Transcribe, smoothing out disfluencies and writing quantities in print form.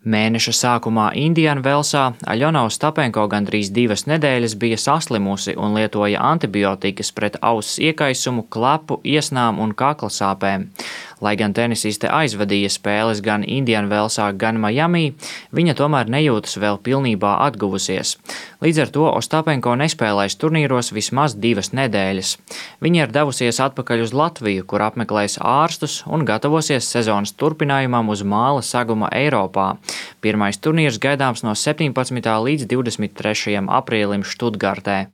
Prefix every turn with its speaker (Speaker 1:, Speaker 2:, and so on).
Speaker 1: Mēneša sākumā Indian Velsā Aļona Ostapenko gandrīz 2 nedēļas bija saslimusi un lietoja antibiotikas pret auss iekaisumu, klepu, iesnām un kakla sāpēm. Lai gan tenisiste aizvadīja spēles gan Indian Velsā, gan Miami, viņa tomēr nejūtas vēl pilnībā atguvusies. Līdz ar to Ostapenko nespēlēs turnīros vismaz 2 nedēļas. Viņa ir devusies atpakaļ uz Latviju, kur apmeklēs ārstus un gatavosies sezonas turpinājumam uz māla saguma Eiropā. Pirmais turnīrs gaidāms no 17. līdz 23. aprīlim Štutgartē.